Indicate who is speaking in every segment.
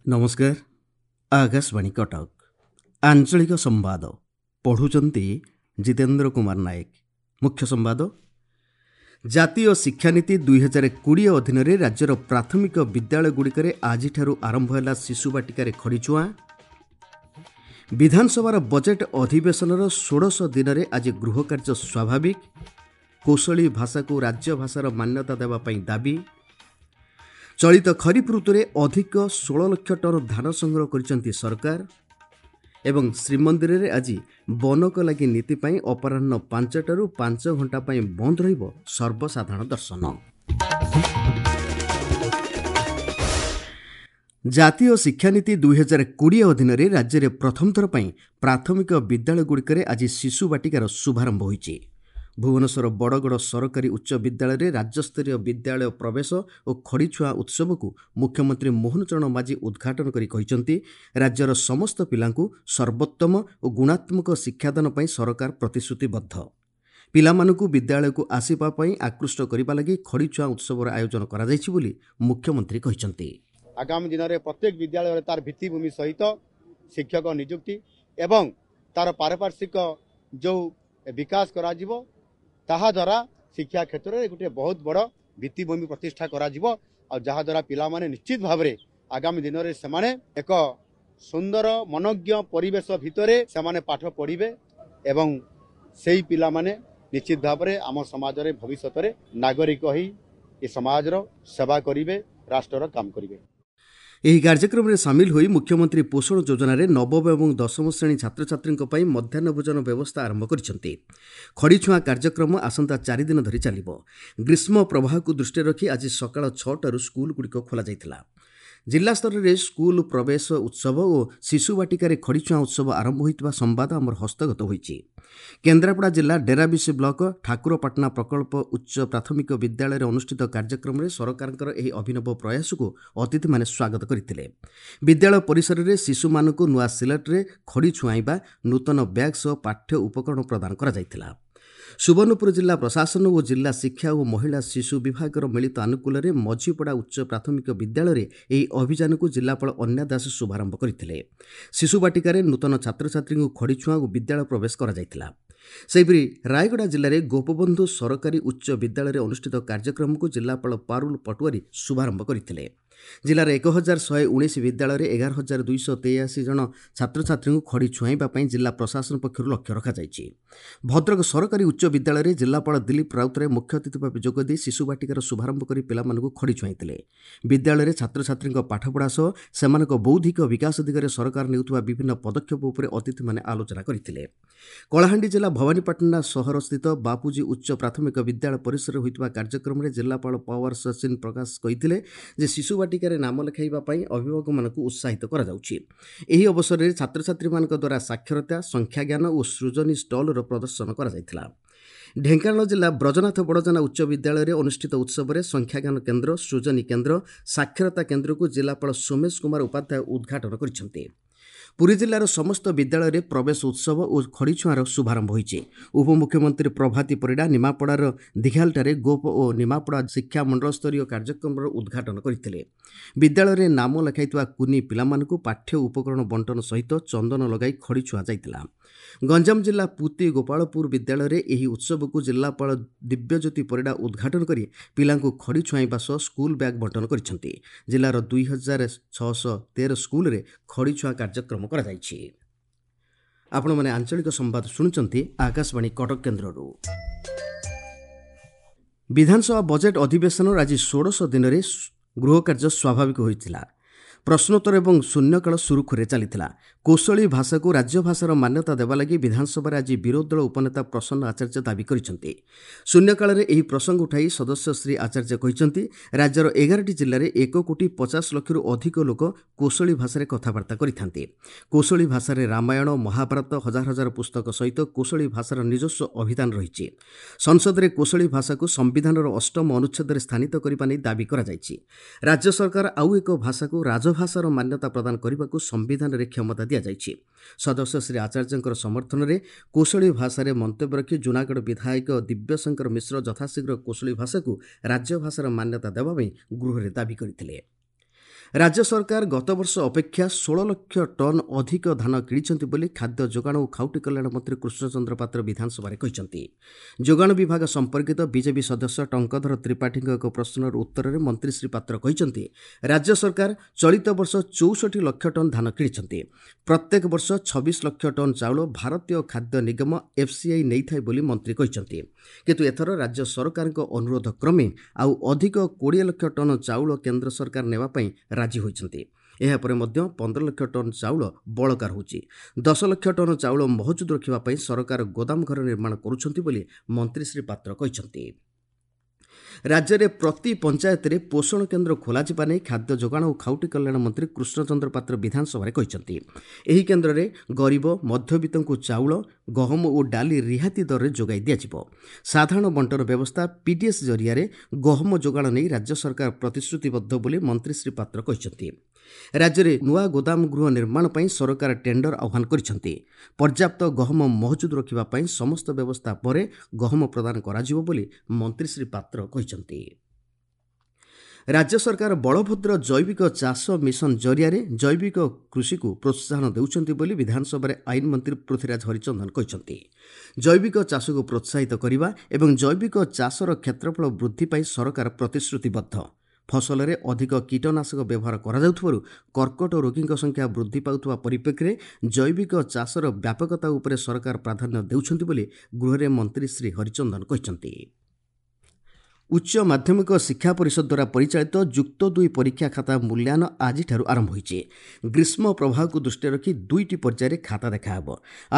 Speaker 1: ନମସ୍କାର, ଆକାଶବାଣୀ କଟକ। ଆଞ୍ଚଳିକ ସମ୍ବାଦ ପଢ଼ୁଛନ୍ତି ଜିତେନ୍ଦ୍ର କୁମାର ନାୟକ। ମୁଖ୍ୟ ସମ୍ବାଦ। ଜାତୀୟ ଶିକ୍ଷାନୀତି 2020 ଅଧୀନରେ ରାଜ୍ୟର ପ୍ରାଥମିକ ବିଦ୍ୟାଳୟଗୁଡ଼ିକରେ ଆଜିଠାରୁ ଆରମ୍ଭ ହେଲା ଶିଶୁ ବାଟିକାରେ ଖଡ଼ିଛୁଆଁ। ବିଧାନସଭାର ବଜେଟ୍ ଅଧିବେଶନର ଷୋଡ଼ଶ ଦିନରେ ଆଜି ଗୃହକାର୍ଯ୍ୟ ସ୍ୱାଭାବିକ। କୋଶଳୀ ଭାଷାକୁ ରାଜ୍ୟ ଭାଷାର ମାନ୍ୟତା ଦେବା ପାଇଁ ଦାବି। ଚଳିତ ଖରିଫ ଋତୁରେ ଅଧିକ 16 ଲକ୍ଷ ଟନ୍ ଧାନ ସଂଗ୍ରହ କରିଛନ୍ତି ସରକାର। ଏବଂ ଶ୍ରୀମନ୍ଦିରରେ ଆଜି ବନକ ଲାଗି ନୀତି ପାଇଁ ଅପରାହ୍ନ 5ଟାରୁ 5 ଘଣ୍ଟା ପାଇଁ ବନ୍ଦ ରହିବ ସର୍ବସାଧାରଣ ଦର୍ଶନ। ଜାତୀୟ ଶିକ୍ଷାନୀତି 2020 ଅଧୀନରେ ରାଜ୍ୟରେ ପ୍ରଥମ ଥର ପାଇଁ ପ୍ରାଥମିକ ବିଦ୍ୟାଳୟଗୁଡ଼ିକରେ ଆଜି ଶିଶୁ ବାଟିକାର ଶୁଭାରମ୍ଭ ହୋଇଛି। ଭୁବନେଶ୍ୱର ବଡ଼ଗଡ଼ ସରକାରୀ ଉଚ୍ଚ ବିଦ୍ୟାଳୟରେ ରାଜ୍ୟସ୍ତରୀୟ ବିଦ୍ୟାଳୟ ପ୍ରବେଶ ଓ ଖଡ଼ିଛୁଆଁ ଉତ୍ସବକୁ ମୁଖ୍ୟମନ୍ତ୍ରୀ ମୋହନ ଚରଣ ମାଝୀ ଉଦ୍ଘାଟନ କରି କହିଛନ୍ତି, ରାଜ୍ୟର ସମସ୍ତ ପିଲାଙ୍କୁ ସର୍ବୋତ୍ତମ ଓ ଗୁଣାତ୍ମକ ଶିକ୍ଷାଦାନ ପାଇଁ ସରକାର ପ୍ରତିଶ୍ରୁତିବଦ୍ଧ। ପିଲାମାନଙ୍କୁ ବିଦ୍ୟାଳୟକୁ ଆସିବା ପାଇଁ ଆକୃଷ୍ଟ କରିବା ଲାଗି ଖଡ଼ିଛୁଆଁ ଉତ୍ସବର ଆୟୋଜନ କରାଯାଇଛି ବୋଲି ମୁଖ୍ୟମନ୍ତ୍ରୀ କହିଛନ୍ତି।
Speaker 2: ଆଗାମୀ ଦିନରେ ପ୍ରତ୍ୟେକ ବିଦ୍ୟାଳୟରେ ତାର ଭିତ୍ତିଭୂମି ସହିତ ଶିକ୍ଷକ ନିଯୁକ୍ତି ଏବଂ ତାର ପାରିପାର୍ଶ୍ୱିକ ଯେଉଁ ବିକାଶ କରାଯିବ, ତାହାଦ୍ୱାରା ଶିକ୍ଷା କ୍ଷେତ୍ରରେ ଗୋଟିଏ ବହୁତ ବଡ଼ ଭିତ୍ତିଭୂମି ପ୍ରତିଷ୍ଠା କରାଯିବ, ଆଉ ଯାହାଦ୍ୱାରା ପିଲାମାନେ ନିଶ୍ଚିତ ଭାବରେ ଆଗାମୀ ଦିନରେ ସେମାନେ ଏକ ସୁନ୍ଦର ମନୋଜ୍ଞ ପରିବେଶ ଭିତରେ ସେମାନେ ପାଠ ପଢ଼ିବେ ଏବଂ ସେଇ ପିଲାମାନେ ନିଶ୍ଚିତ ଭାବରେ ଆମ ସମାଜରେ ଭବିଷ୍ୟତରେ ନାଗରିକ ହୋଇ ଏ ସମାଜର ସେବା କରିବେ, ରାଷ୍ଟ୍ରର କାମ କରିବେ।
Speaker 1: ଏହି କାର୍ଯ୍ୟକ୍ରମରେ ସାମିଲ ହୋଇ ମୁଖ୍ୟମନ୍ତ୍ରୀ ପୋଷଣ ଯୋଜନାରେ ନବମ ଏବଂ ଦଶମ ଶ୍ରେଣୀ ଛାତ୍ରଛାତ୍ରୀଙ୍କ ପାଇଁ ମଧ୍ୟାହ୍ନ ଭୋଜନ ବ୍ୟବସ୍ଥା ଆରମ୍ଭ କରିଛନ୍ତି। ଖଡ଼ିଛୁଆଁ କାର୍ଯ୍ୟକ୍ରମ ଆସନ୍ତା 4 ଦିନ ଧରି ଚାଲିବ। ଗ୍ରୀଷ୍ମ ପ୍ରବାହକୁ ଦୃଷ୍ଟିରେ ରଖି ଆଜି ସକାଳ 6ଟାରୁ ସ୍କୁଲଗୁଡ଼ିକ ଖୋଲାଯାଇଥିଲା। ଜିଲ୍ଲାସ୍ତରରେ ସ୍କୁଲ ପ୍ରବେଶ ଉତ୍ସବ ଓ ଶିଶୁ ବାଟିକାରେ ଖଡ଼ିଛୁଆଁ ଉତ୍ସବ ଆରମ୍ଭ ହୋଇଥିବା ସମ୍ବାଦ ଆମର ହସ୍ତଗତ ହୋଇଛି। କେନ୍ଦ୍ରାପଡ଼ା ଜିଲ୍ଲା ଡେରାବିଶ ବ୍ଲକ ଠାକୁରପାଟଣା ପ୍ରକଳ୍ପ ଉଚ୍ଚ ପ୍ରାଥମିକ ବିଦ୍ୟାଳୟରେ ଅନୁଷ୍ଠିତ କାର୍ଯ୍ୟକ୍ରମରେ ସରକାରଙ୍କର ଏହି ଅଭିନବ ପ୍ରୟାସକୁ ଅତିଥିମାନେ ସ୍ୱାଗତ କରିଥିଲେ। ବିଦ୍ୟାଳୟ ପରିସରରେ ଶିଶୁମାନଙ୍କୁ ନୂଆ ସିଲଟରେ ଖଡ଼ି ଛୁଆଁଇବା, ନୂତନ ବ୍ୟାଗ୍ ସହ ପାଠ୍ୟ ଉପକରଣ ପ୍ରଦାନ କରାଯାଇଥିଲା। ସୁବର୍ଣ୍ଣପୁର ଜିଲ୍ଲା ପ୍ରଶାସନ ଓ ଜିଲ୍ଲା ଶିକ୍ଷା ଓ ମହିଳା ଶିଶୁ ବିଭାଗର ମିଳିତ ଆନୁକୂଲ୍ୟରେ ମଝିପଡ଼ା ଉଚ୍ଚ ପ୍ରାଥମିକ ବିଦ୍ୟାଳୟରେ ଏହି ଅଭିଯାନକୁ ଜିଲ୍ଲାପାଳ ଅନ୍ୟା ଦାସ ଶୁଭାରମ୍ଭ କରିଥିଲେ। ଶିଶୁ ବାଟିକାରେ ନୂତନ ଛାତ୍ରଛାତ୍ରୀଙ୍କୁ ଖଡ଼ିଛୁଆଁ ଓ ବିଦ୍ୟାଳୟ ପ୍ରବେଶ କରାଯାଇଥିଲା। ସେହିପରି ରାୟଗଡ଼ା ଜିଲ୍ଲାରେ ଗୋପବନ୍ଧୁ ସରକାରୀ ଉଚ୍ଚ ବିଦ୍ୟାଳୟରେ ଅନୁଷ୍ଠିତ କାର୍ଯ୍ୟକ୍ରମକୁ ଜିଲ୍ଲାପାଳ ପାରୁଲ ପଟୁଆରୀ ଶୁଭାରମ୍ଭ କରିଥିଲେ। ଜିଲ୍ଲାର 1119 ବିଦ୍ୟାଳୟରେ 11,283 ଜଣ ଛାତ୍ରଛାତ୍ରୀଙ୍କୁ ଖଡ଼ି ଛୁଆଁଇବା ପାଇଁ ଜିଲ୍ଲା ପ୍ରଶାସନ ପକ୍ଷରୁ ଲକ୍ଷ୍ୟ ରଖାଯାଇଛି। ଭଦ୍ରକ ସରକାରୀ ଉଚ୍ଚ ବିଦ୍ୟାଳୟରେ ଜିଲ୍ଲାପାଳ ଦିଲ୍ଲୀପ ରାଉତରାୟ ମୁଖ୍ୟ ଅତିଥି ଭାବେ ଯୋଗଦେଇ ଶିଶୁ ବାଟିକାର ଶୁଭାରମ୍ଭ କରି ପିଲାମାନଙ୍କୁ ଖଡ଼ି ଛୁଆଁଇଥିଲେ। ବିଦ୍ୟାଳୟରେ ଛାତ୍ରଛାତ୍ରୀଙ୍କ ପାଠପଢ଼ା ସହ ସେମାନଙ୍କ ବୌଦ୍ଧିକ ବିକାଶ ଦିଗରେ ସରକାର ନେଉଥିବା ବିଭିନ୍ନ ପଦକ୍ଷେପ ଉପରେ ଅତିଥିମାନେ ଆଲୋଚନା କରିଥିଲେ। କଳାହାଣ୍ଡି ଜିଲ୍ଲା ଭବାନୀପାଟଣା ସହରସ୍ଥିତ ବାପୁଜୀ ଉଚ୍ଚ ପ୍ରାଥମିକ ବିଦ୍ୟାଳୟ ପରିସରରେ ହୋଇଥିବା କାର୍ଯ୍ୟକ୍ରମରେ ଜିଲ୍ଲାପାଳ ପାୱାର ସଚିନ ପ୍ରକାଶ କହିଥିଲେ ଯେ ଶିଶୁ ବାଟିକାରେ ନାମ ଲେଖାଇବା ପାଇଁ ଅଭିଭାବକମାନଙ୍କୁ ଉତ୍ସାହିତ କରାଯାଉଛି। ଏହି ଅବସରରେ ଛାତ୍ରଛାତ୍ରୀମାନଙ୍କ ଦ୍ୱାରା ସାକ୍ଷରତା, ସଂଖ୍ୟାଜ୍ଞାନ ଓ ସୃଜନୀ ଷ୍ଟଲର ପ୍ରଦର୍ଶନ କରାଯାଇଥିଲା। ଢେଙ୍କାନାଳ ଜିଲ୍ଲା ବ୍ରଜନାଥ ବଡ଼ଜନା ଉଚ୍ଚ ବିଦ୍ୟାଳୟରେ ଅନୁଷ୍ଠିତ ଉତ୍ସବରେ ସଂଖ୍ୟାଜ୍ଞାନ କେନ୍ଦ୍ର, ସୃଜନୀ କେନ୍ଦ୍ର, ସାକ୍ଷରତା କେନ୍ଦ୍ରକୁ ଜିଲ୍ଲାପାଳ ସୋମେଶ କୁମାର ଉପାଧ୍ୟାୟ ଉଦ୍ଘାଟନ କରିଛନ୍ତି। ପୁରୀ ଜିଲ୍ଲାର ସମସ୍ତ ବିଦ୍ୟାଳୟରେ ପ୍ରବେଶ ଉତ୍ସବ ଓ ଖଡ଼ିଛୁଆଁର ଶୁଭାରମ୍ଭ ହୋଇଛି। ଉପମୁଖ୍ୟମନ୍ତ୍ରୀ ପ୍ରଭାତୀ ପରିଡ଼ା ନିମାପଡ଼ାର ଦିଘାଲଠାରେ ଗୋପ ଓ ନିମାପଡ଼ା ଶିକ୍ଷା ମଣ୍ଡଳସ୍ତରୀୟ କାର୍ଯ୍ୟକ୍ରମର ଉଦ୍ଘାଟନ କରିଥିଲେ। ବିଦ୍ୟାଳୟରେ ନାମ ଲେଖାଇଥିବା କୁନି ପିଲାମାନଙ୍କୁ ପାଠ୍ୟ ଉପକରଣ ବଣ୍ଟନ ସହିତ ଚନ୍ଦନ ଲଗାଇ ଖଡ଼ି ଛୁଆଁ ଯାଇଥିଲା। ଗଞ୍ଜାମ ଜିଲ୍ଲା ପୁତି ଗୋପାଳପୁର ବିଦ୍ୟାଳୟରେ ଏହି ଉତ୍ସବକୁ ଜିଲ୍ଲାପାଳ ଦିବ୍ୟଜ୍ୟୋତି ପରିଡ଼ା ଉଦ୍ଘାଟନ କରି ପିଲାଙ୍କୁ ଖଡ଼ି ଛୁଆଁଇବା ସହ ସ୍କୁଲ ବ୍ୟାଗ୍ ବଣ୍ଟନ କରିଛନ୍ତି। ଜିଲ୍ଲାର 2613 ସ୍କୁଲରେ ଖଡ଼ି ଛୁଆଁ କାର୍ଯ୍ୟକ୍ରମ କରାଯାଇଛି। ଆପଣମାନେ ଆଞ୍ଚଳିକ ସମ୍ବାଦ ଶୁଣୁଛନ୍ତି ଆକାଶବାଣୀ କଟକ କେନ୍ଦ୍ରରୁ। ବିଧାନସଭା ବଜେଟ୍ ଅଧିବେଶନର ଆଜି ଷୋଡ଼ଶ ଦିନରେ ଗୃହକାର୍ଯ୍ୟ ସ୍ୱାଭାବିକ ହୋଇଥିଲା। ପ୍ରଶ୍ନୋତ୍ତର ଏବଂ ଶୂନ୍ୟକାଳ ସୁରୁଖୁରୁରେ ଚାଲିଥିଲା। କୋଶଳୀ ଭାଷାକୁ ରାଜ୍ୟ ଭାଷାର ମାନ୍ୟତା ଦେବା ଲାଗି ବିଧାନସଭାରେ ଆଜି ବିରୋଧୀ ଦଳ ଉପନେତା ପ୍ରସନ୍ନ ଆଚାର୍ଯ୍ୟ ଦାବି କରିଛନ୍ତି। ଶୂନ୍ୟକାଳରେ ଏହି ପ୍ରସଙ୍ଗ ଉଠାଇ ସଦସ୍ୟ ଶ୍ରୀ ଆଚାର୍ଯ୍ୟ କହିଛନ୍ତି, ରାଜ୍ୟର 11ଟି ଜିଲ୍ଲାରେ 1 କୋଟି 50 ଲକ୍ଷରୁ ଅଧିକ ଲୋକ କୋଶଳୀ ଭାଷାରେ କଥାବାର୍ତ୍ତା କରିଥାନ୍ତି। କୋଶଳୀ ଭାଷାରେ ରାମାୟଣ, ମହାଭାରତ, ହଜାର ହଜାର ପୁସ୍ତକ ସହିତ କୋଶଳୀ ଭାଷାର ନିଜସ୍ୱ ଅଭିଧାନ ରହିଛି। ସଂସଦରେ କୋଶଳୀ ଭାଷାକୁ ସମ୍ବିଧାନର ଅଷ୍ଟମ ଅନୁଚ୍ଛେଦରେ ସ୍ଥାନିତ କରିବା ନେଇ ଦାବି କରାଯାଇଛି। ରାଜ୍ୟ ସରକାର ଆଉ ଏକ ଭାଷାକୁ ରାଜଭାଷାର ମାନ୍ୟତା ପ୍ରଦାନ କରିବାକୁ ସମ୍ବିଧାନରେ କ୍ଷମତା ଦିଆଯାଇଛି। ସଦସ୍ୟ ଶ୍ରୀ ଆଚାର୍ଯ୍ୟଙ୍କର ସମର୍ଥନରେ କୋଶଳୀ ଭାଷାରେ ମନ୍ତବ୍ୟ ରଖି ଜୁନାଗଡ଼ ବିଧାୟକ ଦିବ୍ୟଶଙ୍କର ମିଶ୍ର ଯଥାଶୀଘ୍ର କୋଶଳୀ ଭାଷାକୁ ରାଜ୍ୟ ଭାଷାର ମାନ୍ୟତା ଦେବା ପାଇଁ ଗୃହରେ ଦାବି କରିଥିଲେ। ରାଜ୍ୟ ସରକାର ଗତବର୍ଷ ଅପେକ୍ଷା 16 ଲକ୍ଷ ଟନ୍ ଅଧିକ ଧାନ କିଣିଛନ୍ତି ବୋଲି ଖାଦ୍ୟ ଯୋଗାଣ ଓ ଖାଉଟି କଲ୍ୟାଣ ମନ୍ତ୍ରୀ କୃଷ୍ଣଚନ୍ଦ୍ର ପାତ୍ର ବିଧାନସଭାରେ କହିଛନ୍ତି। ଯୋଗାଣ ବିଭାଗ ସମ୍ପର୍କିତ ବିଜେପି ସଦସ୍ୟ ଟଙ୍କଧର ତ୍ରିପାଠୀଙ୍କ ଏକ ପ୍ରଶ୍ନର ଉତ୍ତରରେ ମନ୍ତ୍ରୀ ଶ୍ରୀ ପାତ୍ର କହିଛନ୍ତି, ରାଜ୍ୟ ସରକାର ଚଳିତ ବର୍ଷ 64 ଲକ୍ଷ ଟନ୍ ଧାନ କିଣିଛନ୍ତି। ପ୍ରତ୍ୟେକ ବର୍ଷ 26 ଲକ୍ଷ ଟନ୍ ଚାଉଳ ଭାରତୀୟ ଖାଦ୍ୟ ନିଗମ ଏଫ୍ସିଆଇ ନେଇଥାଏ ବୋଲି ମନ୍ତ୍ରୀ କହିଛନ୍ତି। କିନ୍ତୁ ଏଥର ରାଜ୍ୟ ସରକାରଙ୍କ ଅନୁରୋଧ କ୍ରମେ ଆଉ ଅଧିକ 20 ଲକ୍ଷ ଟନ୍ ଚାଉଳ କେନ୍ଦ୍ର ସରକାର ନେବା ପାଇଁ ରାଜି ହୋଇଛନ୍ତି। ଏହାପରେ ମଧ୍ୟ 15 ଲକ୍ଷ ଟନ୍ ଚାଉଳ ବଳକା ରହୁଛି। 10 ଲକ୍ଷ ଟନ୍ ଚାଉଳ ମହଜୁଦ ରଖିବା ପାଇଁ ସରକାର ଗୋଦାମ ଘର ନିର୍ମାଣ କରୁଛନ୍ତି ବୋଲି ମନ୍ତ୍ରୀ ଶ୍ରୀ ପାତ୍ର କହିଛନ୍ତି। ରାଜ୍ୟରେ ପ୍ରତି ପଞ୍ଚାୟତରେ ପୋଷଣ କେନ୍ଦ୍ର ଖୋଲାଯିବା ନେଇ ଖାଦ୍ୟ ଯୋଗାଣ ଓ ଖାଉଟି କଲ୍ୟାଣ ମନ୍ତ୍ରୀ କୃଷ୍ଣଚନ୍ଦ୍ର ପାତ୍ର ବିଧାନସଭାରେ କହିଛନ୍ତି। ଏହି କେନ୍ଦ୍ରରେ ଗରିବ ମଧ୍ୟବିତ୍ତଙ୍କୁ ଚାଉଳ, ଗହମ ଓ ଡାଲି ରିହାତି ଦରରେ ଯୋଗାଇ ଦିଆଯିବ। ସାଧାରଣ ବଣ୍ଟନ ବ୍ୟବସ୍ଥା ପିଡିଏସ୍ ଜରିଆରେ ଗହମ ଯୋଗାଣ ନେଇ ରାଜ୍ୟ ସରକାର ପ୍ରତିଶ୍ରୁତିବଦ୍ଧ ବୋଲି ମନ୍ତ୍ରୀ ଶ୍ରୀ ପାତ୍ର କହିଛନ୍ତି। ରାଜ୍ୟରେ ନୂଆ ଗୋଦାମ ଗୃହ ନିର୍ମାଣ ପାଇଁ ସରକାର ଟେଣ୍ଡର ଆହ୍ୱାନ କରିଛନ୍ତି। ପର୍ଯ୍ୟାପ୍ତ ଗହମ ମହଜୁଦ ରଖିବା ପାଇଁ ସମସ୍ତ ବ୍ୟବସ୍ଥା ପରେ ଗହମ ପ୍ରଦାନ କରାଯିବ ବୋଲି ମନ୍ତ୍ରୀ ଶ୍ରୀ ପାତ୍ର କହିଛନ୍ତି। ରାଜ୍ୟ ସରକାର ବଳଭଦ୍ର ଜୈବିକ ଚାଷ ମିଶନ ଜରିଆରେ ଜୈବିକ କୃଷିକୁ ପ୍ରୋତ୍ସାହନ ଦେଉଛନ୍ତି ବୋଲି ବିଧାନସଭାରେ ଆଇନ ମନ୍ତ୍ରୀ ପୃଥ୍ୱୀରାଜ ହରିଚନ୍ଦନ କହିଛନ୍ତି। ଜୈବିକ ଚାଷକୁ ପ୍ରୋତ୍ସାହିତ କରିବା ଏବଂ ଜୈବିକ ଚାଷର କ୍ଷେତ୍ରଫଳ ବୃଦ୍ଧି ପାଇଁ ସରକାର ପ୍ରତିଶ୍ରୁତିବଦ୍ଧ। ଫସଲରେ ଅଧିକ କୀଟନାଶକ ବ୍ୟବହାର କରାଯାଉଥିବାରୁ କର୍କଟ ରୋଗୀଙ୍କ ସଂଖ୍ୟା ବୃଦ୍ଧି ପାଉଥିବା ପରିପ୍ରେକ୍ଷୀରେ ଜୈବିକ ଚାଷର ବ୍ୟାପକତା ଉପରେ ସରକାର ପ୍ରାଧାନ୍ୟ ଦେଉଛନ୍ତି ବୋଲି ଗୃହରେ ମନ୍ତ୍ରୀ ଶ୍ରୀ ହରିଚନ୍ଦନ କହିଛନ୍ତି। ଉଚ୍ଚ ମାଧ୍ୟମିକ ଶିକ୍ଷା ପରିଷଦ ଦ୍ୱାରା ପରିଚାଳିତ ଯୁକ୍ତ 2 ପରୀକ୍ଷା ଖାତା ମୂଲ୍ୟାୟନ ଆଜିଠାରୁ ଆରମ୍ଭ ହୋଇଛି। ଗ୍ରୀଷ୍ମ ପ୍ରବାହକୁ ଦୃଷ୍ଟିରେ ରଖି 2ଟି ପର୍ଯ୍ୟାୟରେ ଖାତା ଦେଖାହେବ।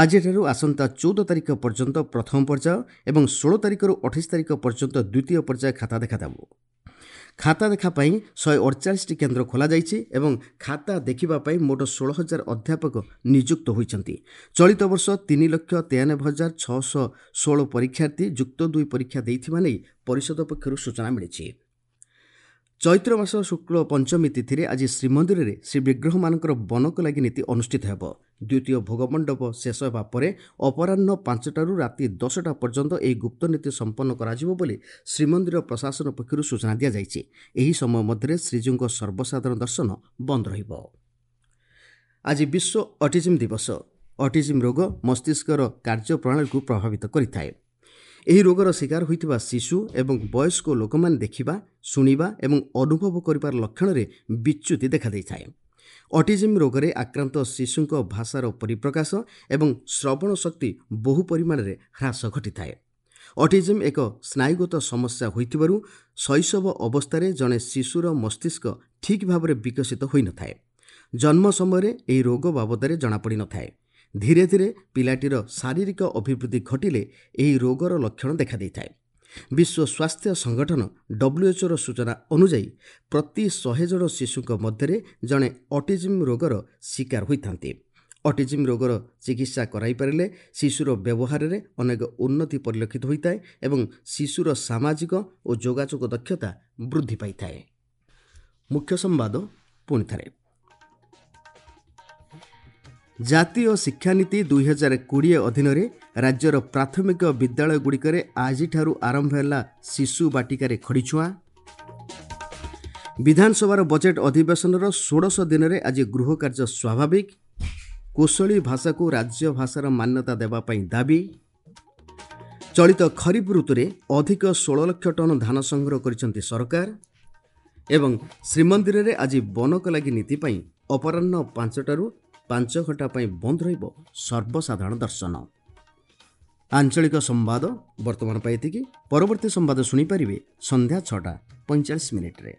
Speaker 1: ଆଜିଠାରୁ ଆସନ୍ତା 14 ତାରିଖ ପର୍ଯ୍ୟନ୍ତ ପ୍ରଥମ ପର୍ଯ୍ୟାୟ ଏବଂ 16 ତାରିଖରୁ 28 ତାରିଖ ପର୍ଯ୍ୟନ୍ତ ଦ୍ୱିତୀୟ ପର୍ଯ୍ୟାୟ ଖାତା ଦେଖାଦେବ। ଖାତା ଦେଖା ପାଇଁ 148ଟି କେନ୍ଦ୍ର ଖୋଲାଯାଇଛି ଏବଂ ଖାତା ଦେଖିବା ପାଇଁ ମୋଟ 16,000 ଅଧ୍ୟାପକ ନିଯୁକ୍ତ ହୋଇଛନ୍ତି। ଚଳିତ ବର୍ଷ 3,93,616 ପରୀକ୍ଷାର୍ଥୀ ଯୁକ୍ତ 2 ପରୀକ୍ଷା ଦେଇଥିବା ନେଇ ପରିଷଦ ପକ୍ଷରୁ ସୂଚନା ମିଳିଛି। ଚୈତ୍ର ମାସ ଶୁକ୍ଳ ପଞ୍ଚମୀ ତିଥିରେ ଆଜି ଶ୍ରୀମନ୍ଦିରରେ ଶ୍ରୀବିଗ୍ରହମାନଙ୍କର ବନକ ଲାଗି ନୀତି ଅନୁଷ୍ଠିତ ହେବ। ଦ୍ୱିତୀୟ ଭୋଗମଣ୍ଡପ ଶେଷ ହେବା ପରେ ଅପରାହ୍ନ 5ଟାରୁ ରାତି 10ଟା ପର୍ଯ୍ୟନ୍ତ ଏହି ଗୁପ୍ତ ନୀତି ସମ୍ପନ୍ନ କରାଯିବ ବୋଲି ଶ୍ରୀମନ୍ଦିର ପ୍ରଶାସନ ପକ୍ଷରୁ ସୂଚନା ଦିଆଯାଇଛି। ଏହି ସମୟ ମଧ୍ୟରେ ଶ୍ରୀଜୀଉଙ୍କ ସର୍ବସାଧାରଣ ଦର୍ଶନ ବନ୍ଦ ରହିବ। ଆଜି ବିଶ୍ୱ ଅଟିଜିମ୍ ଦିବସ। ଅଟିଜିମ୍ ରୋଗ ମସ୍ତିଷ୍କର କାର୍ଯ୍ୟପ୍ରଣାଳୀକୁ ପ୍ରଭାବିତ କରିଥାଏ। ଏହି ରୋଗର ଶିକାର ହୋଇଥିବା ଶିଶୁ ଏବଂ ବୟସ୍କ ଲୋକମାନେ ଦେଖିବା, ଶୁଣିବା ଏବଂ ଅନୁଭବ କରିବାର ଲକ୍ଷଣରେ ବିଚ୍ୟୁତି ଦେଖାଦେଇଥାଏ। ଅଟିଜିମ୍ ରୋଗରେ ଆକ୍ରାନ୍ତ ଶିଶୁଙ୍କ ଭାଷାର ପରିପ୍ରକାଶ ଏବଂ ଶ୍ରବଣ ଶକ୍ତି ବହୁ ପରିମାଣରେ ହ୍ରାସ ଘଟିଥାଏ। ଅଟିଜିମ୍ ଏକ ସ୍ନାୟୁଗତ ସମସ୍ୟା ହୋଇଥିବାରୁ ଶୈଶବ ଅବସ୍ଥାରେ ଜଣେ ଶିଶୁର ମସ୍ତିଷ୍କ ଠିକ୍ ଭାବରେ ବିକଶିତ ହୋଇନଥାଏ। ଜନ୍ମ ସମୟରେ ଏହି ରୋଗ ବାବଦରେ ଜଣାପଡ଼ିନଥାଏ। ଧୀରେ ଧୀରେ ପିଲାଟିର ଶାରୀରିକ ଅଭିବୃଦ୍ଧି ଘଟିଲେ ଏହି ରୋଗର ଲକ୍ଷଣ ଦେଖାଦେଇଥାଏ। ବିଶ୍ୱ ସ୍ୱାସ୍ଥ୍ୟ ସଂଗଠନ ଡବ୍ଲ୍ୟୁଏଚ୍ଓର ସୂଚନା ଅନୁଯାୟୀ ପ୍ରତି 100 ଜଣ ଶିଶୁଙ୍କ ମଧ୍ୟରେ ଜଣେ ଅଟିଜିମ୍ ରୋଗର ଶିକାର ହୋଇଥାନ୍ତି। ଅଟିଜିମ୍ ରୋଗର ଚିକିତ୍ସା କରାଇପାରିଲେ ଶିଶୁର ବ୍ୟବହାରରେ ଅନେକ ଉନ୍ନତି ପରିଲକ୍ଷିତ ହୋଇଥାଏ ଏବଂ ଶିଶୁର ସାମାଜିକ ଓ ଯୋଗାଯୋଗ ଦକ୍ଷତା ବୃଦ୍ଧି ପାଇଥାଏ। ମୁଖ୍ୟ ସମ୍ବାଦ ପୁଣି ଥରେ। ଜାତୀୟ ଶିକ୍ଷାନୀତି 2020 ଅଧୀନରେ ରାଜ୍ୟର ପ୍ରାଥମିକ ବିଦ୍ୟାଳୟଗୁଡ଼ିକରେ ଆଜିଠାରୁ ଆରମ୍ଭ ହେଲା ଶିଶୁ ବାଟିକାରେ ଖଡ଼ିଛୁଆଁ। ବିଧାନସଭାର ବଜେଟ୍ ଅଧିବେଶନର ଷୋଡ଼ଶ ଦିନରେ ଆଜି ଗୃହ କାର୍ଯ୍ୟ ସ୍ୱାଭାବିକ। କୋଶଳୀ ଭାଷାକୁ ରାଜ୍ୟ ଭାଷାର ମାନ୍ୟତା ଦେବା ପାଇଁ ଦାବି। ଚଳିତ ଖରିଫ ଋତୁରେ ଅଧିକ 16 ଲକ୍ଷ ଟନ୍ ଧାନ ସଂଗ୍ରହ କରିଛନ୍ତି ସରକାର। ଏବଂ ଶ୍ରୀମନ୍ଦିରରେ ଆଜି ବନକ ଲାଗି ନୀତି ପାଇଁ ଅପରାହ୍ନ 5ଟାରୁ 5 ଘଣ୍ଟା ପାଇଁ ବନ୍ଦ ରହିବ ସର୍ବସାଧାରଣ ଦର୍ଶନ। ଆଞ୍ଚଳିକ ସମ୍ବାଦ ବର୍ତ୍ତମାନ ପାଇଁ ଏତିକି। ପରବର୍ତ୍ତୀ ସମ୍ବାଦ ଶୁଣିପାରିବେ ସନ୍ଧ୍ୟା 6ଟା 45 ମିନିଟ୍ରେ।